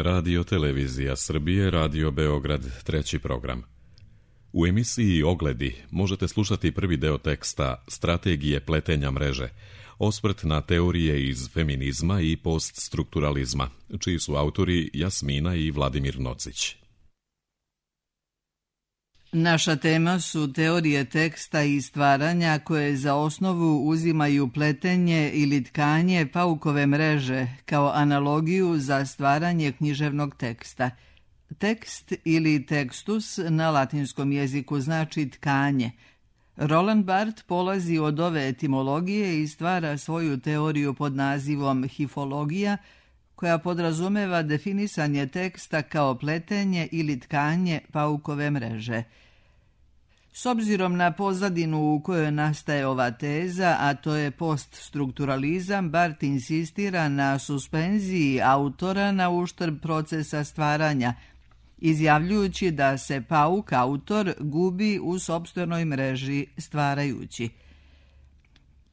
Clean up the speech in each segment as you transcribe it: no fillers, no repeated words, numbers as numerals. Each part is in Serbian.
Radio Televizija Srbije, Radio Beograd, treći program. U emisiji Ogledi možete slušati prvi deo teksta Strategije pletenja mreže, osvrt na teorije iz feminizma i poststrukturalizma, čiji su autori Jasmina i Vladimir Nocić. Naša tema su teorije teksta i stvaranja koje za osnovu uzimaju pletenje ili tkanje paukove mreže kao analogiju za stvaranje književnog teksta. Tekst ili tekstus na latinskom jeziku znači tkanje. Roland Barthes polazi od ove etimologije i stvara svoju teoriju pod nazivom hifologija, koja podrazumeva definisanje teksta kao pletenje ili tkanje paukove mreže. S obzirom na pozadinu u kojoj nastaje ova teza, a to je poststrukturalizam, Barthes insistira na suspenziji autora na uštrb procesa stvaranja, izjavljujući da se pauk, autor, gubi u sopstvenoj mreži stvarajući.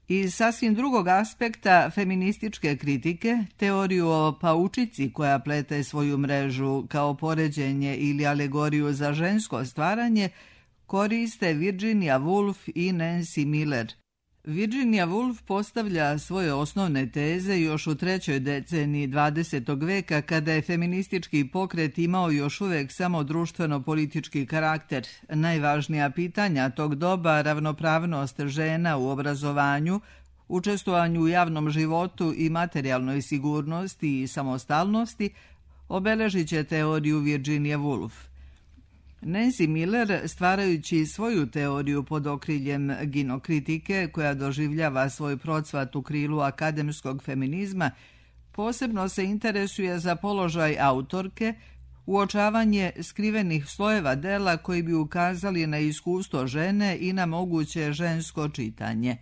Iz sasvim drugog aspekta feminističke kritike, teoriju o paučici koja plete svoju mrežu kao poređenje ili alegoriju za žensko stvaranje, koriste Virginia Woolf i Nancy Miller. Virginia Woolf postavlja svoje osnovne teze još u trećoj deceniji 20. veka, kada je feministički pokret imao još uvek samo društveno-politički karakter. Najvažnija pitanja tog doba, ravnopravnost žena u obrazovanju, učestvovanju u javnom životu i materijalnoj sigurnosti i samostalnosti, obeležit će teoriju Virginia Woolf. Nancy Miller, stvarajući svoju teoriju pod okriljem ginokritike, koja doživljava svoj procvat u krilu akademskog feminizma, posebno se interesuje za položaj autorke, uočavanje skrivenih slojeva dela koji bi ukazali na iskustvo žene i na moguće žensko čitanje.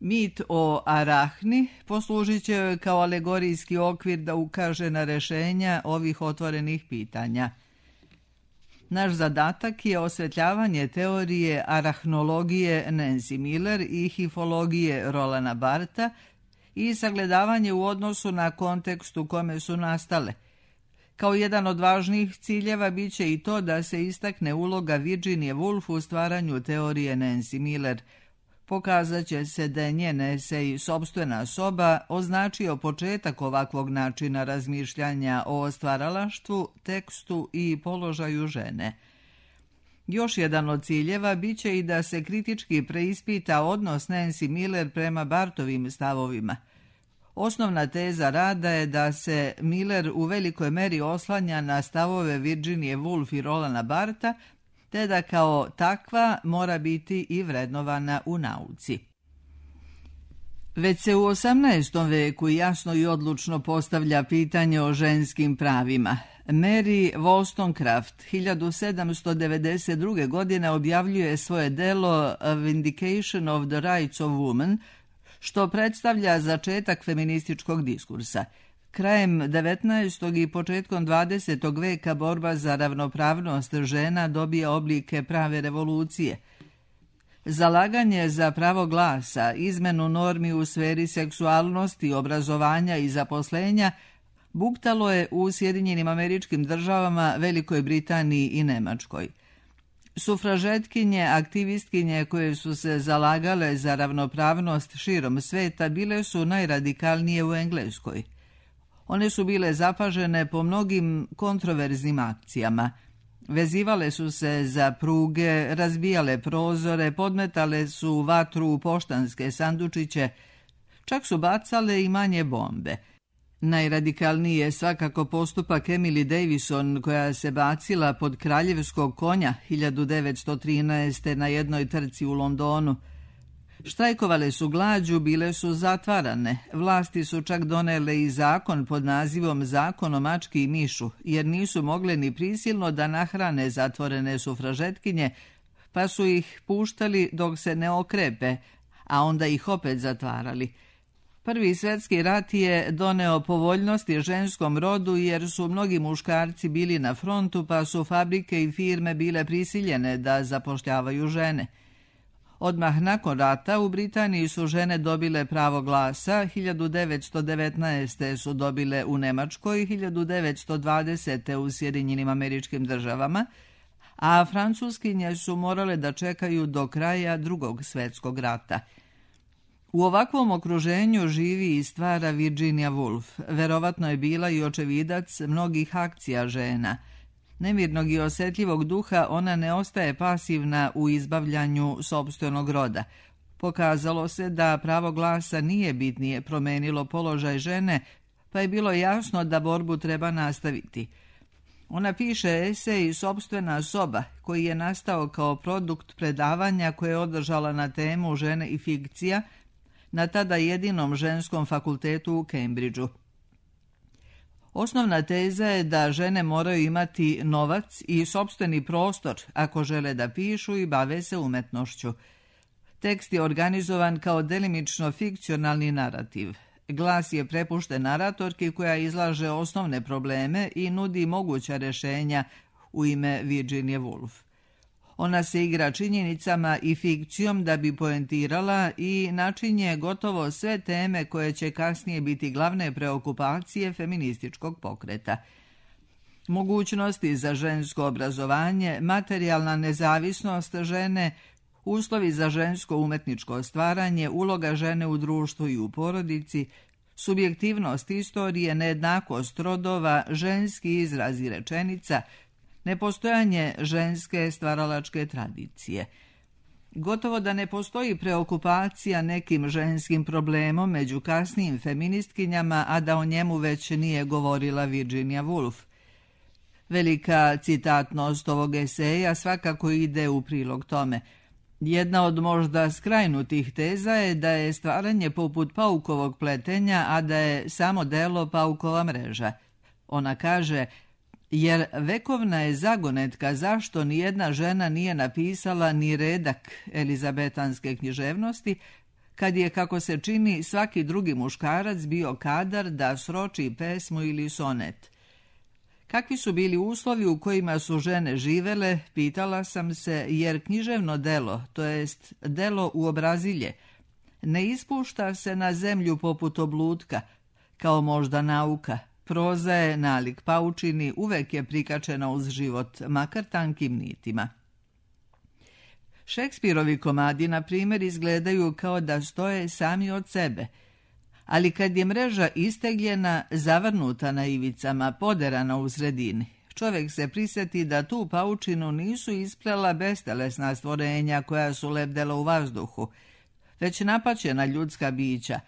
Mit o Arahni poslužit će joj kao alegorijski okvir da ukaže na rešenja ovih otvorenih pitanja. Naš zadatak je osvetljavanje teorije arahnologije Nancy Miller i hifologije Rolanda Bartha i sagledavanje u odnosu na kontekst u kome su nastale. Kao jedan od važnijih ciljeva bit će i to da se istakne uloga Virginia Woolf u stvaranju teorije Nancy Miller. Pokazat će se da je njen esej Sopstvena soba označio početak ovakvog načina razmišljanja o stvaralaštvu, tekstu i položaju žene. Još jedan od ciljeva bit će i da se kritički preispita odnos Nancy Miller prema Barthovim stavovima. Osnovna teza rada je da se Miller u velikoj meri oslanja na stavove Virginie Woolf i Rolanda Bartha, te da kao takva mora biti i vrednovana u nauci. Već se u 18. veku jasno i odlučno postavlja pitanje o ženskim pravima. Mary Wollstonecraft 1792. godine objavljuje svoje delo A Vindication of the Rights of Woman, što predstavlja začetak feminističkog diskursa. Krajem 19. i početkom 20. veka borba za ravnopravnost žena dobija oblike prave revolucije. Zalaganje za pravo glasa, izmenu normi u sferi seksualnosti, obrazovanja i zaposlenja buktalo je u Sjedinjenim Američkim Državama, Velikoj Britaniji i Nemačkoj. Sufražetkinje, aktivistkinje koje su se zalagale za ravnopravnost širom sveta bile su najradikalnije u Engleskoj. One su bile zapažene po mnogim kontroverznim akcijama. Vezivale su se za pruge, razbijale prozore, podmetale su vatru u poštanske sandučiće, čak su bacale i manje bombe. Najradikalniji je svakako postupak Emily Davison, koja se bacila pod kraljevskog konja 1913. na jednoj trci u Londonu. Štrajkovale su glađu, bile su zatvarane. Vlasti su čak donele i zakon pod nazivom Zakon o mački i mišu, jer nisu mogle ni prisilno da nahrane zatvorene sufražetkinje, pa su ih puštali dok se ne okrepe, a onda ih opet zatvarali. Prvi svjetski rat je doneo povoljnosti ženskom rodu jer su mnogi muškarci bili na frontu, pa su fabrike i firme bile prisiljene da zapošljavaju žene. Odmah nakon rata u Britaniji su žene dobile pravo glasa, 1919. su dobile u Nemačkoj, 1920. u Sjedinjenim Američkim Državama, a francuskinje su morale da čekaju do kraja Drugog svjetskog rata. U ovakvom okruženju živi i stvara Virginia Woolf. Verovatno je bila i očevidac mnogih akcija žena. Nemirnog i osjetljivog duha, ona ne ostaje pasivna u izbavljanju sopstvenog roda. Pokazalo se da pravo glasa nije bitnije promenilo položaj žene, pa je bilo jasno da borbu treba nastaviti. Ona piše esej Sopstvena soba, koji je nastao kao produkt predavanja koje je održala na temu žene i fikcija na tada jedinom ženskom fakultetu u Cambridgeu. Osnovna teza je da žene moraju imati novac i sopstveni prostor ako žele da pišu i bave se umetnošću. Tekst je organizovan kao delimično fikcionalni narativ. Glas je prepušten naratorki koja izlaže osnovne probleme i nudi moguća rješenja u ime Virginie Woolf. Ona se igra činjenicama i fikcijom da bi poentirala i načinje gotovo sve teme koje će kasnije biti glavne preokupacije feminističkog pokreta. Mogućnosti za žensko obrazovanje, materijalna nezavisnost žene, uslovi za žensko umetničko stvaranje, uloga žene u društvu i u porodici, subjektivnost istorije, nejednakost rodova, ženski izrazi rečenica, nepostojanje ženske stvaralačke tradicije. Gotovo da ne postoji preokupacija nekim ženskim problemom među kasnijim feministkinjama, a da o njemu već nije govorila Virginia Woolf. Velika citatnost ovog eseja svakako ide u prilog tome. Jedna od možda skrajnutih teza je da je stvaranje poput paukovog pletenja, a da je samo delo paukova mreža. Ona kaže, jer vekovna je zagonetka zašto nijedna žena nije napisala ni redak elizabetanske književnosti, kad je, kako se čini, svaki drugi muškarac bio kadar da sroči pesmu ili sonet. Kakvi su bili uslovi u kojima su žene živele, pitala sam se, jer književno delo, to jest delo u obrazilje, ne ispušta se na zemlju poput oblutka, kao možda nauka. Proza je nalik paučini, uvek je prikačena uz život, makar tankim nitima. Šekspirovi komadi, na primjer, izgledaju kao da stoje sami od sebe, ali kad je mreža istegljena, zavrnuta na ivicama, poderana u sredini, čovjek se prisjeti da tu paučinu nisu isplela bestelesna stvorenja koja su lebdela u vazduhu, već napaćena ljudska bića,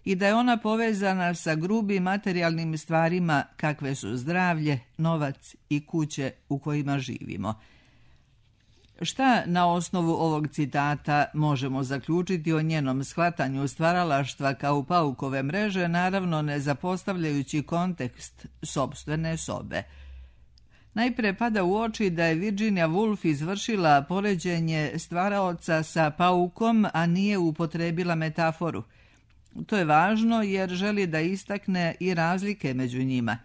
i da je ona povezana sa grubim materijalnim stvarima kakve su zdravlje, novac i kuće u kojima živimo. Šta na osnovu ovog citata možemo zaključiti o njenom shvatanju stvaralaštva kao paukove mreže, naravno ne zapostavljajući kontekst sopstvene sobe? Najpre pada u oči da je Virginia Woolf izvršila poređenje stvaraoca sa paukom, a nije upotrebila metaforu. To je važno jer želi da istakne i razlike među njima.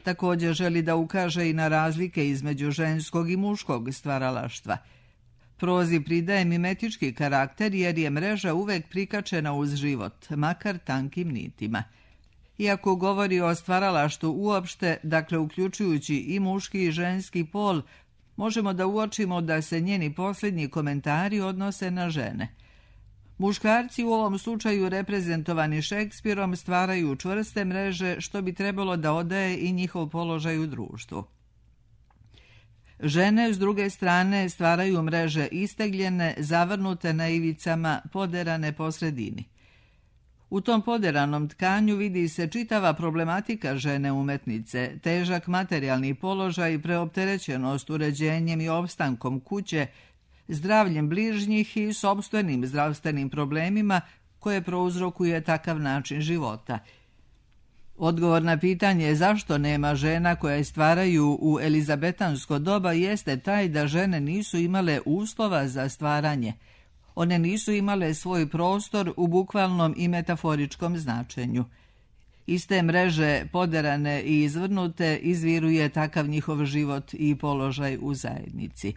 Također želi da ukaže i na razlike između ženskog i muškog stvaralaštva. Prozi pridaje mimetički karakter jer je mreža uvek prikačena uz život, makar tankim nitima. Iako govori o stvaralaštvu uopšte, dakle uključujući i muški i ženski pol, možemo da uočimo da se njeni posljednji komentari odnose na žene. Muškarci u ovom slučaju reprezentovani Šekspirom stvaraju čvrste mreže što bi trebalo da odaje i njihov položaj u društvu. Žene, s druge strane, stvaraju mreže istegljene, zavrnute na ivicama, poderane po sredini. U tom poderanom tkanju vidi se čitava problematika žene umetnice, težak materijalni položaj, preopterećenost uređenjem i opstankom kuće, zdravljem bližnjih i sopstvenim zdravstvenim problemima koje prouzrokuje takav način života. Odgovor na pitanje zašto nema žena koje stvaraju u elizabetansko doba jeste taj da žene nisu imale uslova za stvaranje. One nisu imale svoj prostor u bukvalnom i metaforičkom značenju. Iz te mreže, poderane i izvrnute, izviruje takav njihov život i položaj u zajednici.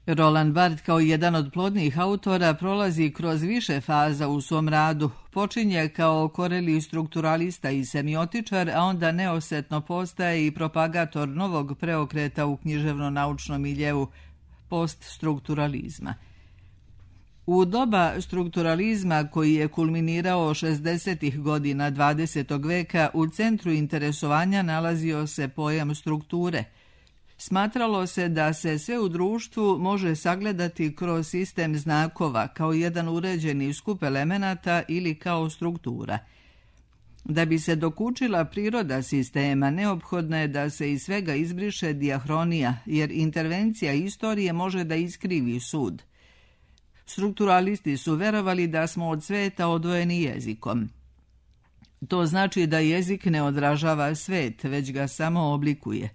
Roland Barthes kao jedan od plodnih autora prolazi kroz više faza u svom radu. Počinje kao koreli strukturalista i semiotičar, a onda neosetno postaje i propagator novog preokreta u književno-naučnom miljeu, poststrukturalizma. U doba strukturalizma koji je kulminirao 60. godina 20. veka u centru interesovanja nalazio se pojam strukture. Smatralo se da se sve u društvu može sagledati kroz sistem znakova kao jedan uređeni skup elemenata ili kao struktura. Da bi se dokučila priroda sistema, neophodno je da se iz svega izbriše dijahronija, jer intervencija istorije može da iskrivi sud. Strukturalisti su verovali da smo od sveta odvojeni jezikom. To znači da jezik ne odražava svet, već ga samo oblikuje.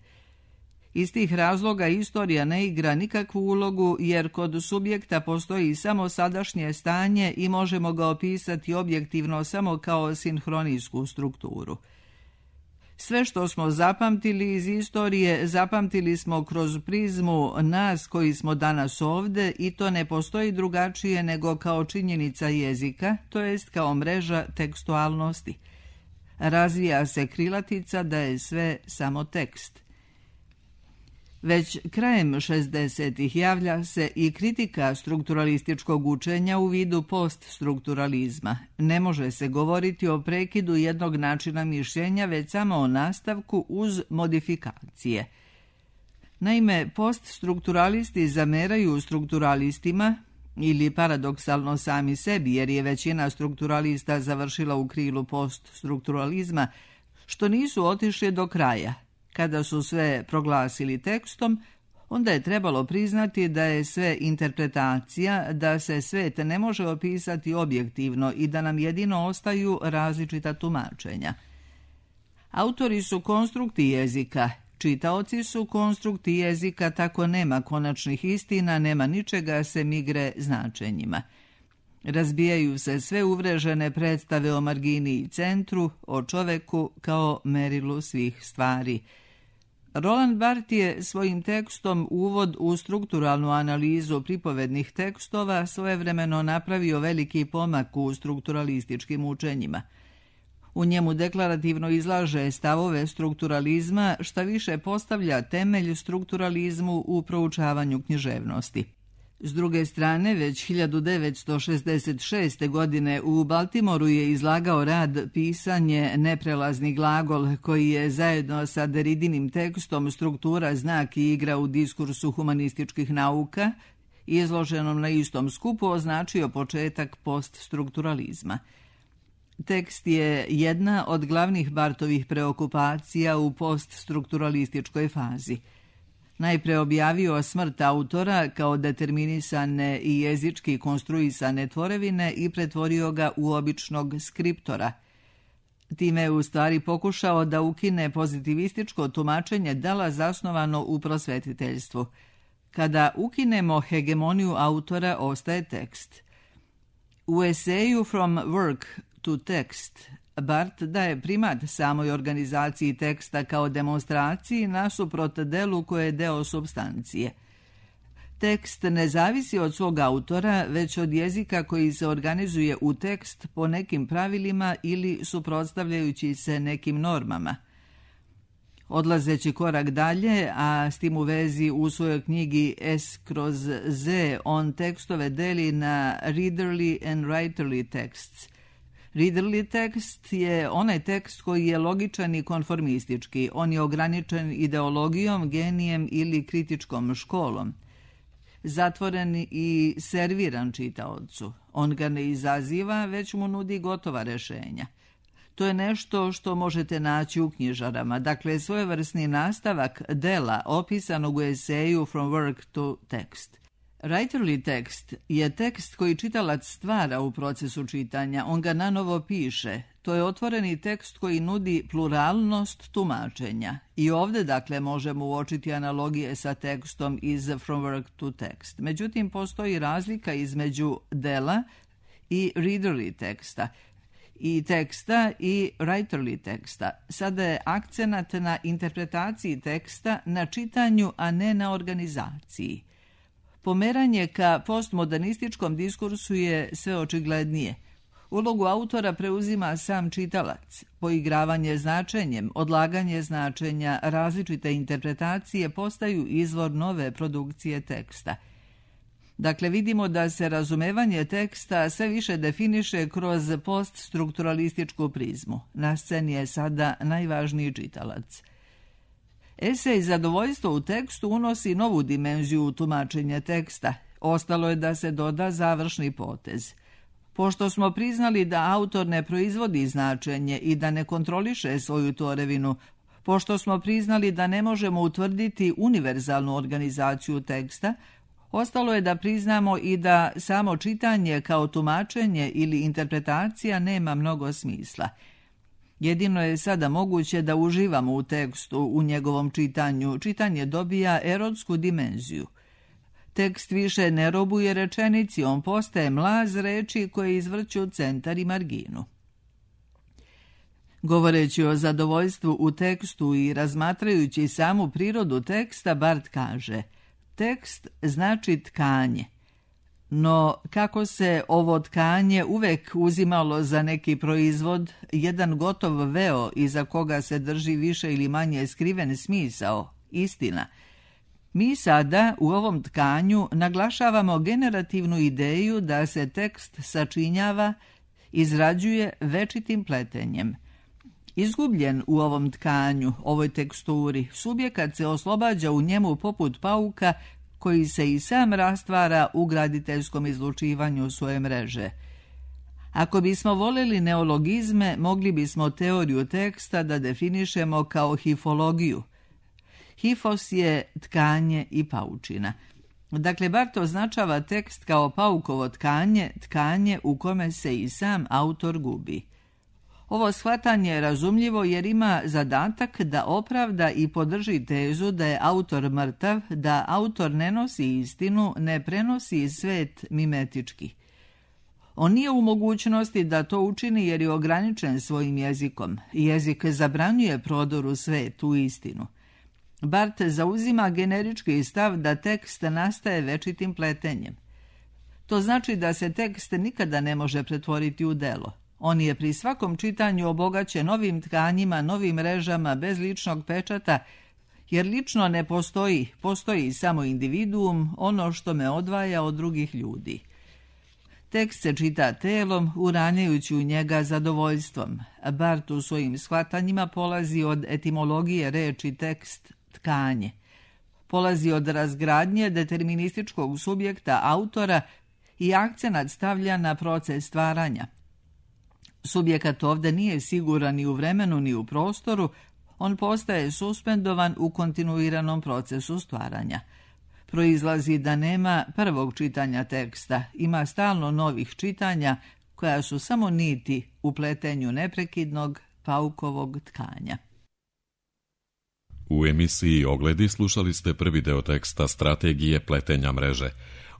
Iz tih razloga istorija ne igra nikakvu ulogu, jer kod subjekta postoji samo sadašnje stanje i možemo ga opisati objektivno samo kao sinhronijsku strukturu. Sve što smo zapamtili iz istorije, zapamtili smo kroz prizmu nas koji smo danas ovde i to ne postoji drugačije nego kao činjenica jezika, to jest kao mreža tekstualnosti. Razvija se krilatica da je sve samo tekst. Već krajem 60-ih javlja se i kritika strukturalističkog učenja u vidu poststrukturalizma. Ne može se govoriti o prekidu jednog načina mišljenja, već samo o nastavku uz modifikacije. Naime, poststrukturalisti zameraju strukturalistima, ili paradoksalno sami sebi, jer je većina strukturalista završila u krilu poststrukturalizma, što nisu otišli do kraja. Kada su sve proglasili tekstom, onda je trebalo priznati da je sve interpretacija, da se svet ne može opisati objektivno i da nam jedino ostaju različita tumačenja. Autori su konstrukti jezika, čitaoci su konstrukti jezika, tako nema konačnih istina, nema ničega sem igre značenjima. Razbijaju se sve uvrežene predstave o margini i centru, o čoveku kao merilu svih stvari. Roland Barthes je svojim tekstom Uvod u strukturalnu analizu pripovednih tekstova svojevremeno napravio veliki pomak u strukturalističkim učenjima. U njemu deklarativno izlaže stavove strukturalizma, šta više postavlja temelj strukturalizmu u proučavanju književnosti. S druge strane, već 1966. godine u Baltimoru je izlagao rad Pisanje, neprelazni glagol, koji je zajedno sa Derridinim tekstom Struktura, znak i igra u diskursu humanističkih nauka, izloženom na istom skupu, označio početak poststrukturalizma. Tekst je jedna od glavnih Barthovih preokupacija u poststrukturalističkoj fazi. Najpre objavio smrt autora kao determinisane i jezički konstruisane tvorevine i pretvorio ga u običnog skriptora. Time je u stvari pokušao da ukine pozitivističko tumačenje dela zasnovano u prosvetiteljstvu. Kada ukinemo hegemoniju autora, ostaje tekst. U eseju From Work to Text Barthes daje primat samoj organizaciji teksta kao demonstraciji nasuprot delu koje je deo supstancije. Tekst ne zavisi od svog autora, već od jezika koji se organizuje u tekst po nekim pravilima ili suprotstavljajući se nekim normama. Odlazeći korak dalje, a s tim u vezi u svojoj knjigi S/Z on tekstove deli na readerly and writerly texts. Readerly tekst je onaj tekst koji je logičan i konformistički. On je ograničen ideologijom, genijem ili kritičkom školom. Zatvoren i serviran čitaocu. On ga ne izaziva, već mu nudi gotova rešenja. To je nešto što možete naći u knjižarama, dakle svojevrsni nastavak dela opisanog u eseju From Work to Text. Writerly tekst je tekst koji čitalac stvara u procesu čitanja, on ga nanovo piše. To je otvoreni tekst koji nudi pluralnost tumačenja. I ovdje, dakle, možemo uočiti analogije sa tekstom iz From Work to Text. Međutim, postoji razlika između dela i readerly teksta, i teksta i writerly teksta. Sada je akcenat na interpretaciji teksta, na čitanju, a ne na organizaciji. Pomeranje ka postmodernističkom diskursu je sve očiglednije. Ulogu autora preuzima sam čitalac. Poigravanje značenjem, odlaganje značenja, različite interpretacije postaju izvor nove produkcije teksta. Dakle, vidimo da se razumevanje teksta sve više definiše kroz poststrukturalističku prizmu. Na sceni je sada najvažniji čitalac. Esej Zadovoljstvo u tekstu unosi novu dimenziju u tumačenje teksta. Ostalo je da se doda završni potez. Pošto smo priznali da autor ne proizvodi značenje i da ne kontroliše svoju tvorevinu, pošto smo priznali da ne možemo utvrditi univerzalnu organizaciju teksta, ostalo je da priznamo i da samo čitanje kao tumačenje ili interpretacija nema mnogo smisla. Jedino je sada moguće da uživamo u tekstu, u njegovom čitanju. Čitanje dobija erotsku dimenziju. Tekst više ne robuje rečenici, on postaje mlaz reči koje izvrću centar i marginu. Govoreći o zadovoljstvu u tekstu i razmatrajući samu prirodu teksta, Barth kaže: tekst znači tkanje. No, kako se ovo tkanje uvek uzimalo za neki proizvod, jedan gotov veo iza koga se drži više ili manje skriven smisao, istina, mi sada u ovom tkanju naglašavamo generativnu ideju da se tekst sačinjava, izrađuje večitim pletenjem. Izgubljen u ovom tkanju, ovoj teksturi, subjekat se oslobađa u njemu poput pauka koji se i sam rastvara u graditeljskom izlučivanju svoje mreže. Ako bismo voljeli neologizme, mogli bismo teoriju teksta da definišemo kao hifologiju. Hifos je tkanje i paučina. Dakle, Barth označava tekst kao paukovo tkanje, tkanje u kome se i sam autor gubi. Ovo shvatanje je razumljivo jer ima zadatak da opravda i podrži tezu da je autor mrtav, da autor ne nosi istinu, ne prenosi svet mimetički. On nije u mogućnosti da to učini jer je ograničen svojim jezikom. Jezik zabranjuje prodor u svet, u istinu. Barth zauzima generički stav da tekst nastaje večitim pletenjem. To znači da se tekst nikada ne može pretvoriti u delo. On je pri svakom čitanju obogaćen novim tkanjima, novim mrežama, bez ličnog pečata, jer lično ne postoji, postoji samo individuum, ono što me odvaja od drugih ljudi. Tekst se čita telom, uranjajući u njega zadovoljstvom. Barth u svojim shvatanjima polazi od etimologije reči tekst, tkanje. Polazi od razgradnje determinističkog subjekta autora i akcenat stavlja na proces stvaranja. Subjekat ovdje nije siguran ni u vremenu ni u prostoru, on postaje suspendovan u kontinuiranom procesu stvaranja. Proizlazi da nema prvog čitanja teksta, ima stalno novih čitanja koja su samo niti u pletenju neprekidnog paukovog tkanja. U emisiji Ogledi slušali ste prvi deo teksta Strategije pletenja mreže,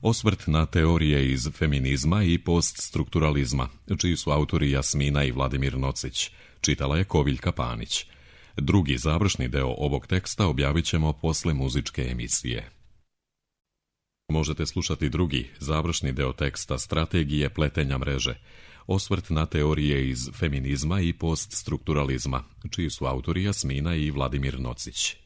osvrt na teorije iz feminizma i poststrukturalizma, čiji su autori Jasmina i Vladimir Nocić. Čitala je Koviljka Panić. Drugi završni deo ovog teksta objavit ćemo posle muzičke emisije. Možete slušati drugi završni deo teksta Strategije pletenja mreže, osvrt na teorije iz feminizma i poststrukturalizma, čiji su autori Jasmina i Vladimir Nocić.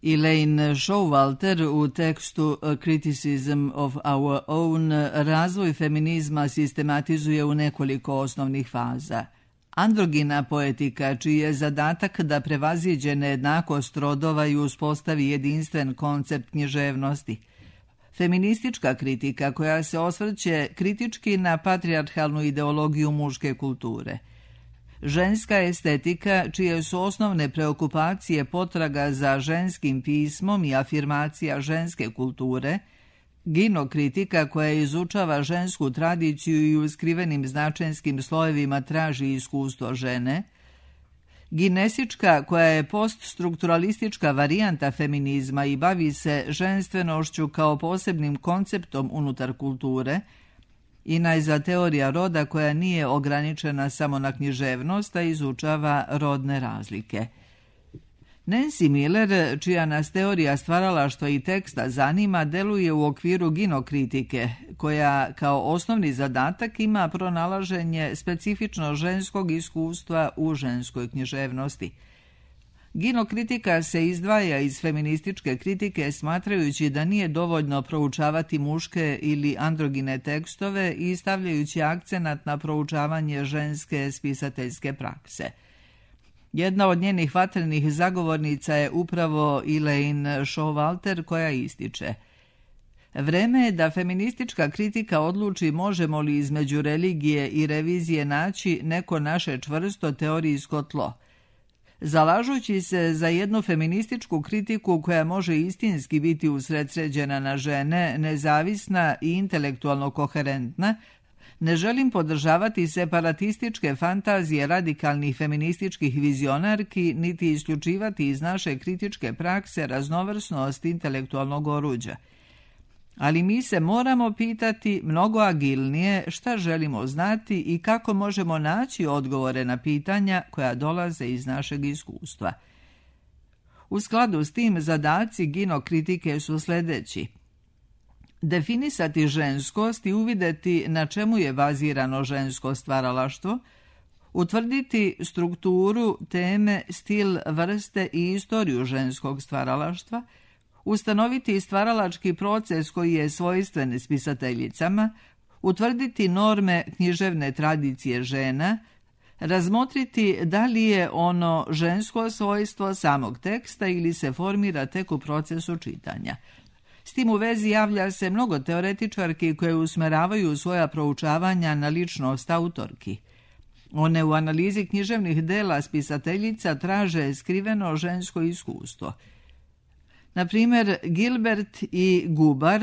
Elaine Showalter u tekstu A Criticism of Our Own razvoj feminizma sistematizuje u nekoliko osnovnih faza. Androgina poetika, čiji je zadatak da prevaziđe nejednakost rodova i uspostavi jedinstven koncept književnosti. Feministička kritika koja se osvrće kritički na patrijarhalnu ideologiju muške kulture. Ženska estetika, čije su osnovne preokupacije potraga za ženskim pismom i afirmacija ženske kulture, ginokritika koja izučava žensku tradiciju i u skrivenim značenskim slojevima traži iskustvo žene, ginesička koja je poststrukturalistička varijanta feminizma i bavi se ženstvenošću kao posebnim konceptom unutar kulture, i najzad teorija roda koja nije ograničena samo na književnost, a izučava rodne razlike. Nancy Miller, čija nas teorija stvaralaštva i teksta zanima, deluje u okviru ginokritike, koja kao osnovni zadatak ima pronalaženje specifično ženskog iskustva u ženskoj književnosti. Ginokritika se izdvaja iz feminističke kritike smatrajući da nije dovoljno proučavati muške ili androgine tekstove i stavljajući akcenat na proučavanje ženske spisateljske prakse. Jedna od njenih vatrenih zagovornica je upravo Elaine Showalter, koja ističe: vreme je da feministička kritika odluči možemo li između religije i revizije naći neko naše čvrsto teorijsko tlo. Zalažući se za jednu feminističku kritiku koja može istinski biti usredsređena na žene, nezavisna i intelektualno koherentna, ne želim podržavati separatističke fantazije radikalnih feminističkih vizionarki, niti isključivati iz naše kritičke prakse raznovrsnost intelektualnog oruđa. Ali mi se moramo pitati mnogo agilnije šta želimo znati i kako možemo naći odgovore na pitanja koja dolaze iz našeg iskustva. U skladu s tim zadaci ginokritike su sljedeći: definisati ženskost i uvidjeti na čemu je bazirano žensko stvaralaštvo, utvrditi strukturu, teme, stil, vrste i istoriju ženskog stvaralaštva, ustanoviti stvaralački proces koji je svojstven spisateljicama, utvrditi norme književne tradicije žena, razmotriti da li je ono žensko svojstvo samog teksta ili se formira tek u procesu čitanja. S tim u vezi javlja se mnogo teoretičarki koje usmeravaju svoja proučavanja na ličnost autorki. One u analizi književnih dela spisateljica traže skriveno žensko iskustvo. Na primjer, Gilbert i Gubar,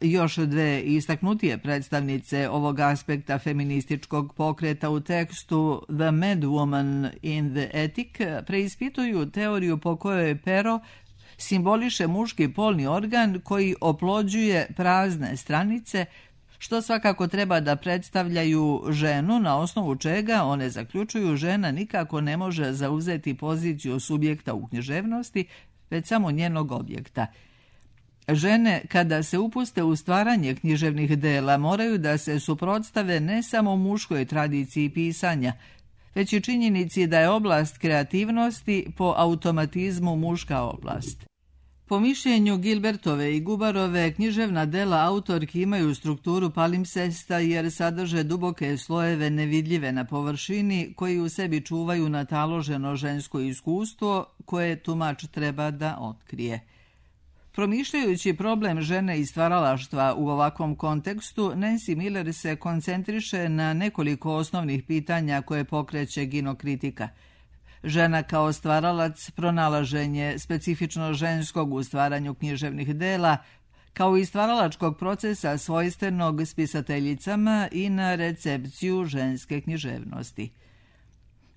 još dve istaknutije predstavnice ovog aspekta feminističkog pokreta, u tekstu The Mad Woman in the Attic preispituju teoriju po kojoj pero simboliše muški polni organ koji oplođuje prazne stranice, što svakako treba da predstavljaju ženu, na osnovu čega one zaključuju žena nikako ne može zauzeti poziciju subjekta u književnosti, već samo njenog objekta. Žene, kada se upuste u stvaranje književnih dela, moraju da se suprotstave ne samo muškoj tradiciji pisanja, već i činjenici da je oblast kreativnosti po automatizmu muška oblast. Po mišljenju Gilbertove i Gubarove, književna dela autorki imaju strukturu palimpsesta jer sadrže duboke slojeve nevidljive na površini koji u sebi čuvaju nataloženo žensko iskustvo koje tumač treba da otkrije. Promišljajući problem žene i stvaralaštva u ovakvom kontekstu, Nancy Miller se koncentriše na nekoliko osnovnih pitanja koje pokreće ginokritika. Žena kao stvaralac, pronalaženje specifično ženskog u stvaranju književnih dela, kao i stvaralačkog procesa svojstvenog spisateljicama i na recepciju ženske književnosti.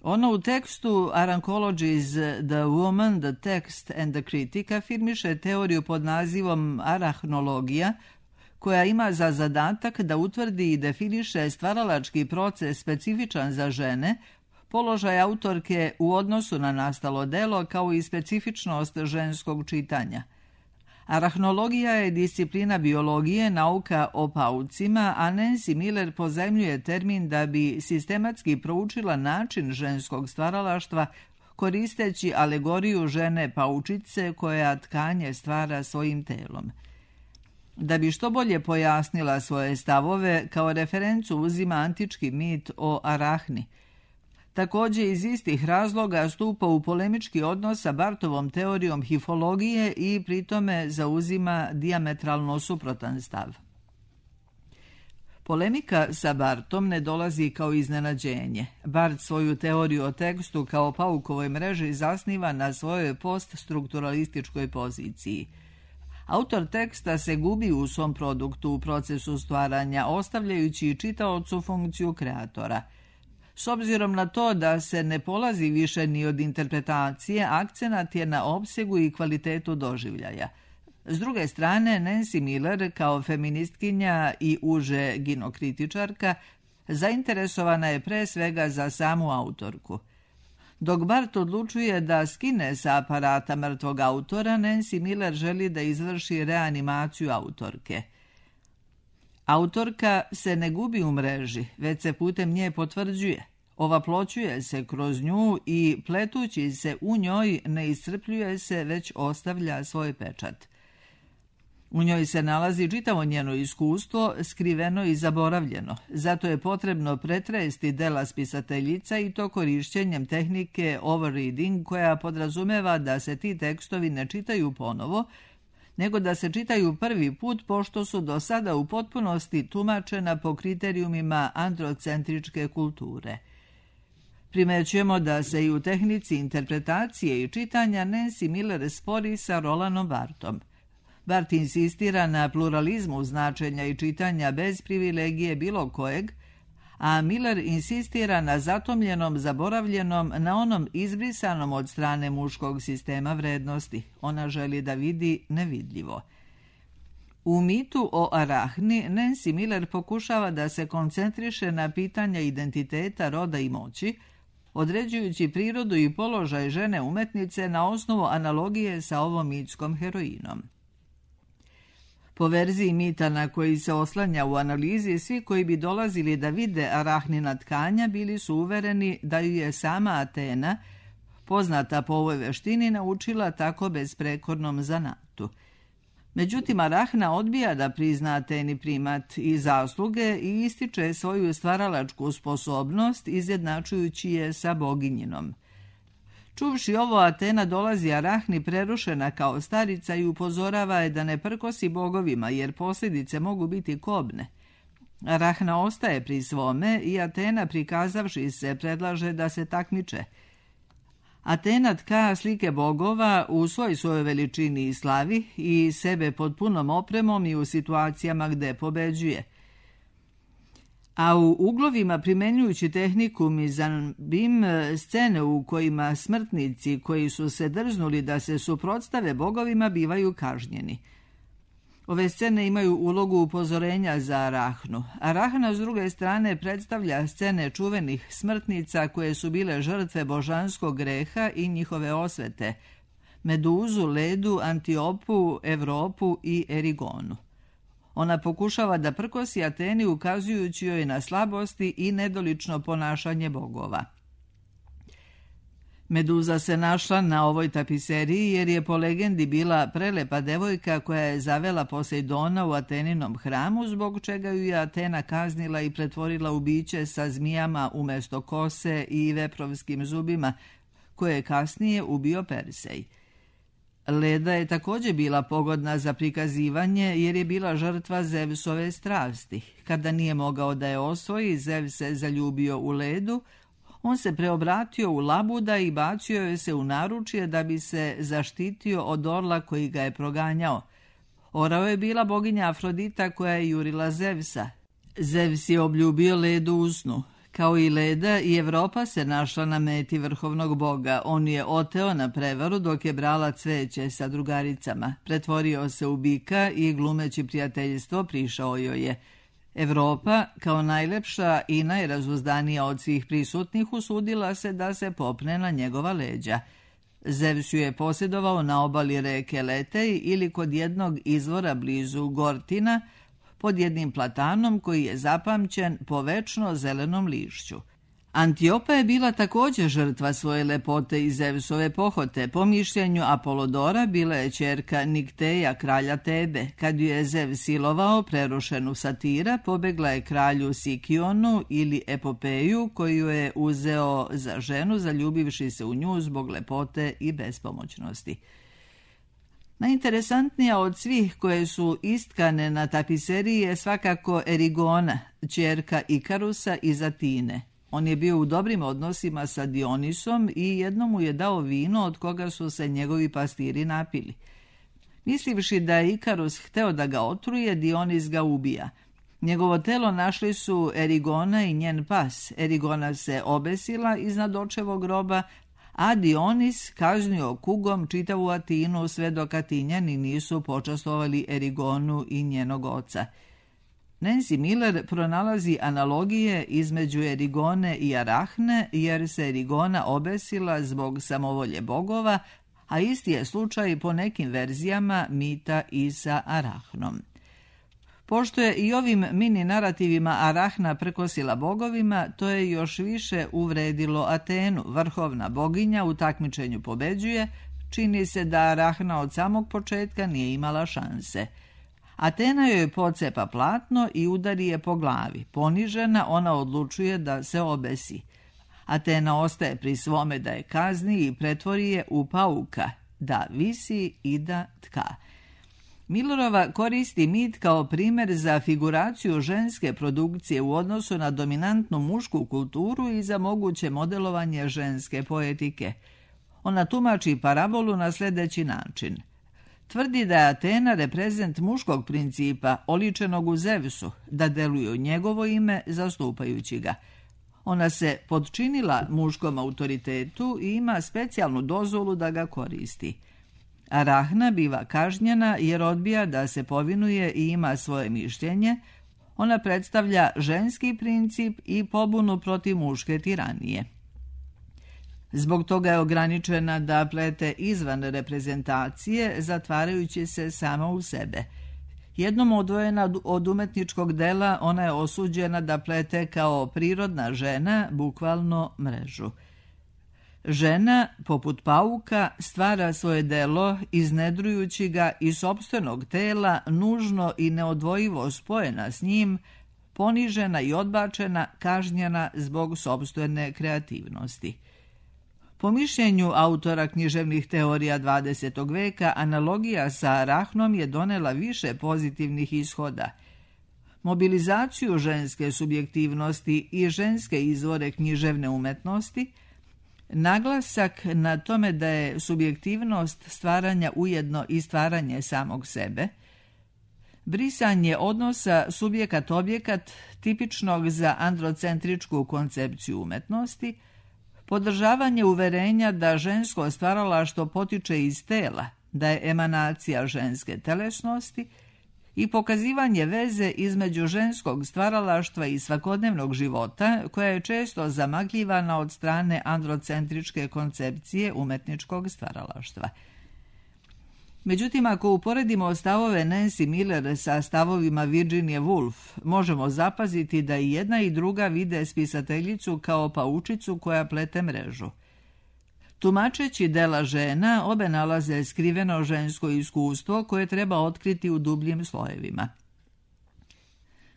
Ono u tekstu Arancologies The Woman, the Text and the Critic afirmiše teoriju pod nazivom arahnologija, koja ima za zadatak da utvrdi i definiše stvaralački proces specifičan za žene, položaj autorke u odnosu na nastalo delo kao i specifičnost ženskog čitanja. Arahnologija je disciplina biologije, nauka o paucima, a Nancy Miller pozajmljuje termin da bi sistematski proučila način ženskog stvaralaštva koristeći alegoriju žene paučice koja tkanje stvara svojim telom. Da bi što bolje pojasnila svoje stavove, kao referencu uzima antički mit o Arahni. Također iz istih razloga stupa u polemički odnos sa Bartovom teorijom hifologije i pritome zauzima dijametralno suprotan stav. Polemika sa Bartom ne dolazi kao iznenađenje. Bart svoju teoriju o tekstu kao paukovoj mreži zasniva na svojoj poststrukturalističkoj poziciji. Autor teksta se gubi u svom produktu u procesu stvaranja, ostavljajući čitaocu funkciju kreatora. S obzirom na to da se ne polazi više ni od interpretacije, akcenat je na opsegu i kvalitetu doživljaja. S druge strane, Nancy Miller, kao feministkinja i uže ginokritičarka, zainteresovana je pre svega za samu autorku. Dok Bart odlučuje da skine sa aparata mrtvog autora, Nancy Miller želi da izvrši reanimaciju autorke. Autorka se ne gubi u mreži, već se putem nje potvrđuje. Ovaploćuje se kroz nju i pletući se u njoj ne iscrpljuje se, već ostavlja svoj pečat. U njoj se nalazi čitavo njeno iskustvo, skriveno i zaboravljeno. Zato je potrebno pretresti dela spisateljica i to korišćenjem tehnike overreading, koja podrazumeva da se ti tekstovi ne čitaju ponovo, nego da se čitaju prvi put, pošto su do sada u potpunosti tumačena po kriterijumima androcentričke kulture. Primećujemo da se i u tehnici interpretacije i čitanja Nancy Miller spori sa Rolandom Barthom. Barth insistira na pluralizmu značenja i čitanja bez privilegije bilo kojeg, a Miller insistira na zatomljenom, zaboravljenom, na onom izbrisanom od strane muškog sistema vrednosti. Ona želi da vidi nevidljivo. U mitu o Arahni, Nancy Miller pokušava da se koncentriše na pitanja identiteta, roda i moći, određujući prirodu i položaj žene umetnice na osnovu analogije sa ovom mitskom heroinom. Po verziji mita na koji se oslanja u analizi, svi koji bi dolazili da vide Arahnina tkanja bili su uvereni da ju je sama Atena, poznata po ovoj veštini, naučila tako bezprekornom zanatu. Međutim, Arahna odbija da prizna Ateni primat i zasluge i ističe svoju stvaralačku sposobnost, izjednačujući je sa boginjinom. Čuvši ovo, Atena dolazi Arahni prerušena kao starica i upozorava je da ne prkosi bogovima, jer posljedice mogu biti kobne. Arahna ostaje pri svome i Atena, prikazavši se, predlaže da se takmiče. Atena tka slike bogova u svojoj veličini i slavi i sebe pod punom opremom i u situacijama gde pobeđuje. A u uglovima, primenjujući tehniku mizanbim, scene u kojima smrtnici koji su se drznuli da se suprotstave bogovima bivaju kažnjeni. Ove scene imaju ulogu upozorenja za Arahnu. Arahna, s druge strane, predstavlja scene čuvenih smrtnica koje su bile žrtve božanskog greha i njihove osvete: Meduzu, Ledu, Antiopu, Evropu i Erigonu. Ona pokušava da prkosi Ateni, ukazujući joj na slabosti i nedolično ponašanje bogova. Meduza se našla na ovoj tapiseriji jer je po legendi bila prelepa devojka koja je zavela Posejdona u Ateninom hramu, zbog čega ju je Atena kaznila i pretvorila u biće sa zmijama umjesto kose i veprovskim zubima, koje je kasnije ubio Persej. Leda je također bila pogodna za prikazivanje jer je bila žrtva Zevsove strasti. Kada nije mogao da je osvoji, Zev se zaljubio u Ledu. On se preobratio u labuda i bacio je se u naručje da bi se zaštitio od orla koji ga je proganjao. Orao je bila boginja Afrodita koja je jurila Zevsa. Zevs je obljubio Ledu u snu. Kao i Leda, i Evropa se našla na meti vrhovnog boga. On je oteo na prevaru dok je brala cveće sa drugaricama. Pretvorio se u bika i glumeći prijateljstvo prišao joj je. Evropa, kao najlepša i najrazuzdanija od svih prisutnih, usudila se da se popne na njegova leđa. Zevs ju je posjedovao na obali reke Letej ili kod jednog izvora blizu Gortina, pod jednim platanom koji je zapamćen po večno zelenom lišću. Antiopa je bila također žrtva svoje lepote i Zevsove pohote. Po mišljenju Apolodora bila je ćerka Nikteja, kralja Tebe. Kad ju je Zev silovao, prerušenu Satira, pobegla je kralju Sikionu ili Epopeju, koju je uzeo za ženu, zaljubivši se u nju zbog lepote i bespomoćnosti. Najinteresantnija od svih koje su istkane na tapiseriji je svakako Erigona, ćerka Ikarusa iz Atine. On je bio u dobrim odnosima sa Dionisom i jednom mu je dao vino od koga su se njegovi pastiri napili. Mislivši da je Ikarus hteo da ga otruje, Dionis ga ubija. Njegovo telo našli su Erigona i njen pas. Erigona se obesila iznad očevog groba, a Dionis kaznio kugom čitavu Atinu sve dok Atinjani nisu počastovali Erigonu i njenog oca. Nancy Miller pronalazi analogije između Erigone i Arahne, jer se Erigona obesila zbog samovolje bogova, a isti je slučaj po nekim verzijama mita i sa Arahnom. Pošto je i ovim mini narativima Arahna prkosila bogovima, to je još više uvredilo Atenu. Vrhovna boginja u takmičenju pobeđuje, čini se da Arahna od samog početka nije imala šanse. Atena joj pocepa platno i udari je po glavi. Ponižena, ona odlučuje da se obesi. Atena ostaje pri svome da je kazni i pretvori je u pauka, da visi i da tka. Millerova koristi mit kao primjer za figuraciju ženske produkcije u odnosu na dominantnu mušku kulturu i za moguće modelovanje ženske poetike. Ona tumači parabolu na sljedeći način. Tvrdi da je Atena reprezent muškog principa, oličenog u Zevsu, da deluje u njegovo ime zastupajući ga. Ona se podčinila muškom autoritetu i ima specijalnu dozvolu da ga koristi. Arahna biva kažnjena jer odbija da se povinuje i ima svoje mišljenje. Ona predstavlja ženski princip i pobunu protiv muške tiranije. Zbog toga je ograničena da plete izvan reprezentacije, zatvarajući se sama u sebe. Jednom odvojena od umetničkog dela, ona je osuđena da plete kao prirodna žena, bukvalno mrežu. Žena, poput pauka, stvara svoje delo, iznedrujući ga iz sopstvenog tela, nužno i neodvojivo spojena s njim, ponižena i odbačena, kažnjena zbog sopstvene kreativnosti. Po mišljenju autora književnih teorija 20. veka, analogija sa Arahnom je donela više pozitivnih ishoda. Mobilizaciju ženske subjektivnosti i ženske izvore književne umetnosti, naglasak na tome da je subjektivnost stvaranja ujedno i stvaranje samog sebe, brisanje odnosa subjekat-objekat tipičnog za androcentričku koncepciju umetnosti, podržavanje uverenja da žensko stvaralaštvo potiče iz tela, da je emanacija ženske telesnosti i pokazivanje veze između ženskog stvaralaštva i svakodnevnog života, koja je često zamagljivana od strane androcentričke koncepcije umetničkog stvaralaštva. Međutim, ako uporedimo stavove Nancy Miller sa stavovima Virginie Woolf, možemo zapaziti da i jedna i druga vide spisateljicu kao paučicu koja plete mrežu. Tumačeći dela žena, obe nalaze skriveno žensko iskustvo koje treba otkriti u dubljim slojevima.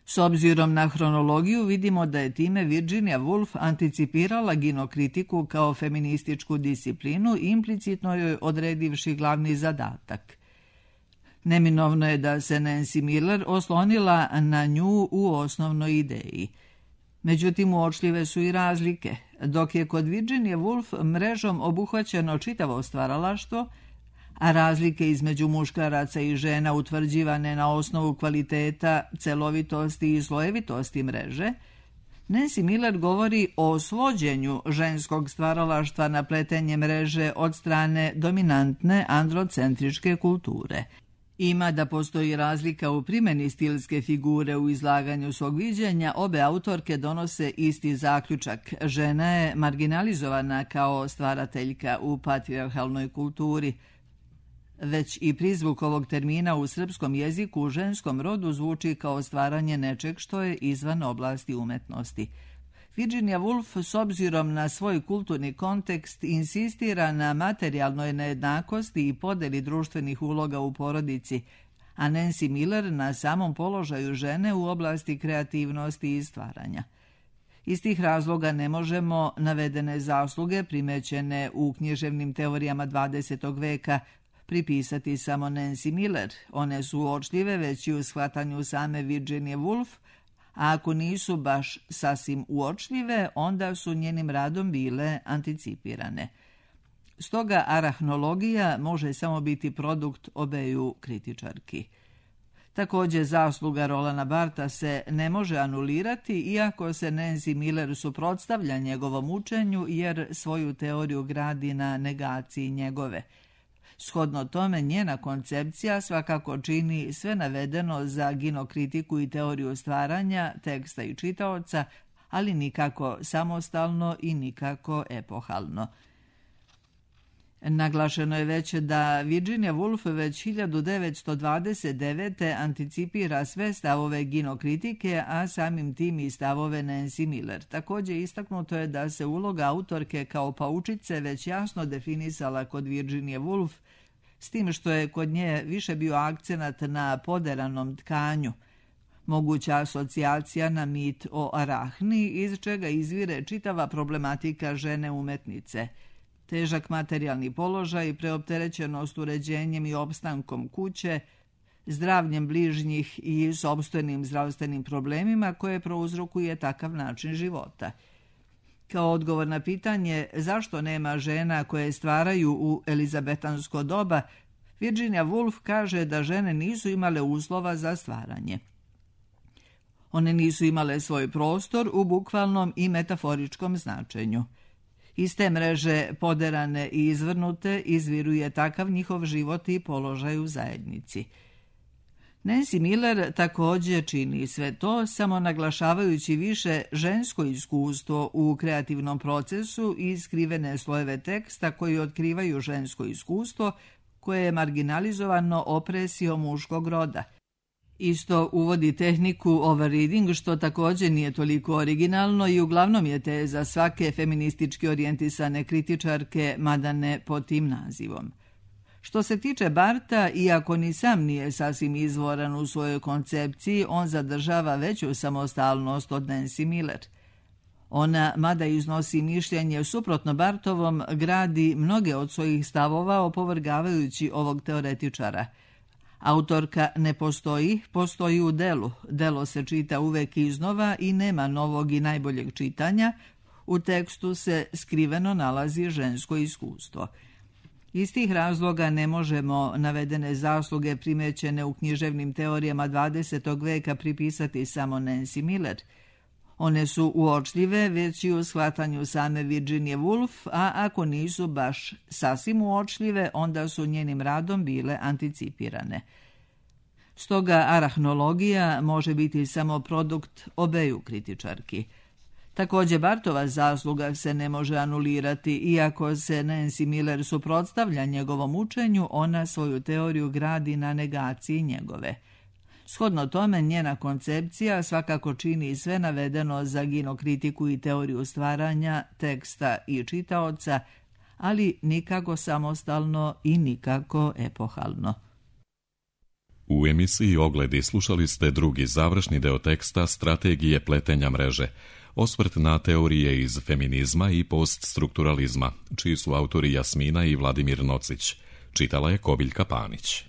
S obzirom na hronologiju vidimo da je time Virginia Woolf anticipirala ginokritiku kao feminističku disciplinu, implicitno joj odredivši glavni zadatak. Neminovno je da se Nancy Miller oslonila na nju u osnovnoj ideji. Međutim, uočljive su i razlike. Dok je kod Virginie Woolf mrežom obuhvaćeno čitavo stvaralaštvo, a razlike između muškaraca i žena utvrđivane na osnovu kvaliteta, celovitosti i slojevitosti mreže, Nancy Miller govori o svođenju ženskog stvaralaštva na pletenje mreže od strane dominantne androcentričke kulture. Ima da postoji razlika u primjeni stilske figure u izlaganju svog viđenja, obe autorke donose isti zaključak. Žena je marginalizovana kao stvarateljka u patrijarhalnoj kulturi. Već i prizvuk ovog termina u srpskom jeziku u ženskom rodu zvuči kao stvaranje nečeg što je izvan oblasti umetnosti. Virginia Woolf s obzirom na svoj kulturni kontekst insistira na materijalnoj nejednakosti i podeli društvenih uloga u porodici, a Nancy Miller na samom položaju žene u oblasti kreativnosti i stvaranja. Iz tih razloga ne možemo navedene zasluge primećene u književnim teorijama 20. veka pripisati samo Nancy Miller. One su uočljive već i u shvatanju same Virginie Woolf, a ako nisu baš sasvim uočljive, onda su njenim radom bile anticipirane. Stoga arahnologija može samo biti produkt obeju kritičarki. Također, zasluga Rolanda Bartha se ne može anulirati, iako se Nancy Miller suprotstavlja njegovom učenju, jer svoju teoriju gradi na negaciji njegove. Shodno tome, njena koncepcija svakako čini sve navedeno za ginokritiku i teoriju stvaranja, teksta i čitaoca, ali nikako samostalno i nikako epohalno. Naglašeno je već da Virginia Woolf već 1929. anticipira sve stavove ginokritike, a samim tim i stavove Nancy Miller. Također istaknuto je da se uloga autorke kao paučice već jasno definisala kod Virginie Woolf, s tim što je kod nje više bio akcenat na poderanom tkanju, moguća asocijacija na mit o Arahni, iz čega izvire čitava problematika žene umetnice. Težak materijalni položaj, preopterećenost uređenjem i opstankom kuće, zdravljem bližnjih i sopstvenim zdravstvenim problemima koje prouzrokuje takav način života. Kao odgovor na pitanje zašto nema žena koje stvaraju u elizabetansko doba, Virginia Woolf kaže da žene nisu imale uslova za stvaranje. One nisu imale svoj prostor u bukvalnom i metaforičkom značenju. Iz te mreže poderane i izvrnute izviruje takav njihov život i položaj u zajednici. Nancy Miller također čini sve to, samo naglašavajući više žensko iskustvo u kreativnom procesu i skrivene slojeve teksta koji otkrivaju žensko iskustvo koje je marginalizovano opresijom muškog roda. Isto uvodi tehniku overreading, što također nije toliko originalno i uglavnom je teza svake feministički orijentisane kritičarke, mada ne pod tim nazivom. Što se tiče Bartha, iako ni sam nije sasvim izvoran u svojoj koncepciji, on zadržava veću samostalnost od Nancy Miller. Ona, mada iznosi mišljenje suprotno Barthovom, gradi mnoge od svojih stavova opovrgavajući ovog teoretičara. Autorka ne postoji, postoji u delu. Delo se čita uvek iznova i nema novog i najboljeg čitanja. U tekstu se skriveno nalazi žensko iskustvo. Iz tih razloga ne možemo navedene zasluge primećene u književnim teorijama 20. veka pripisati samo Nancy Miller. One su uočljive već i u shvatanju same Virginie Woolf, a ako nisu baš sasvim uočljive, onda su njenim radom bile anticipirane. Stoga arahnologija može biti samo produkt obeju kritičarki. Također Barthova zasluga se ne može anulirati, iako se Nancy Miller suprotstavlja njegovom učenju, ona svoju teoriju gradi na negaciji njegove. Shodno tome, njena koncepcija svakako čini sve navedeno za ginokritiku i teoriju stvaranja, teksta i čitaoca, ali nikako samostalno i nikako epohalno. U emisiji Ogledi slušali ste drugi završni deo teksta Strategije pletenja mreže, osvrt na teorije iz feminizma i poststrukturalizma, čiji su autori Jasmina i Vladimir Nocić. Čitala je Kobiljka Panić.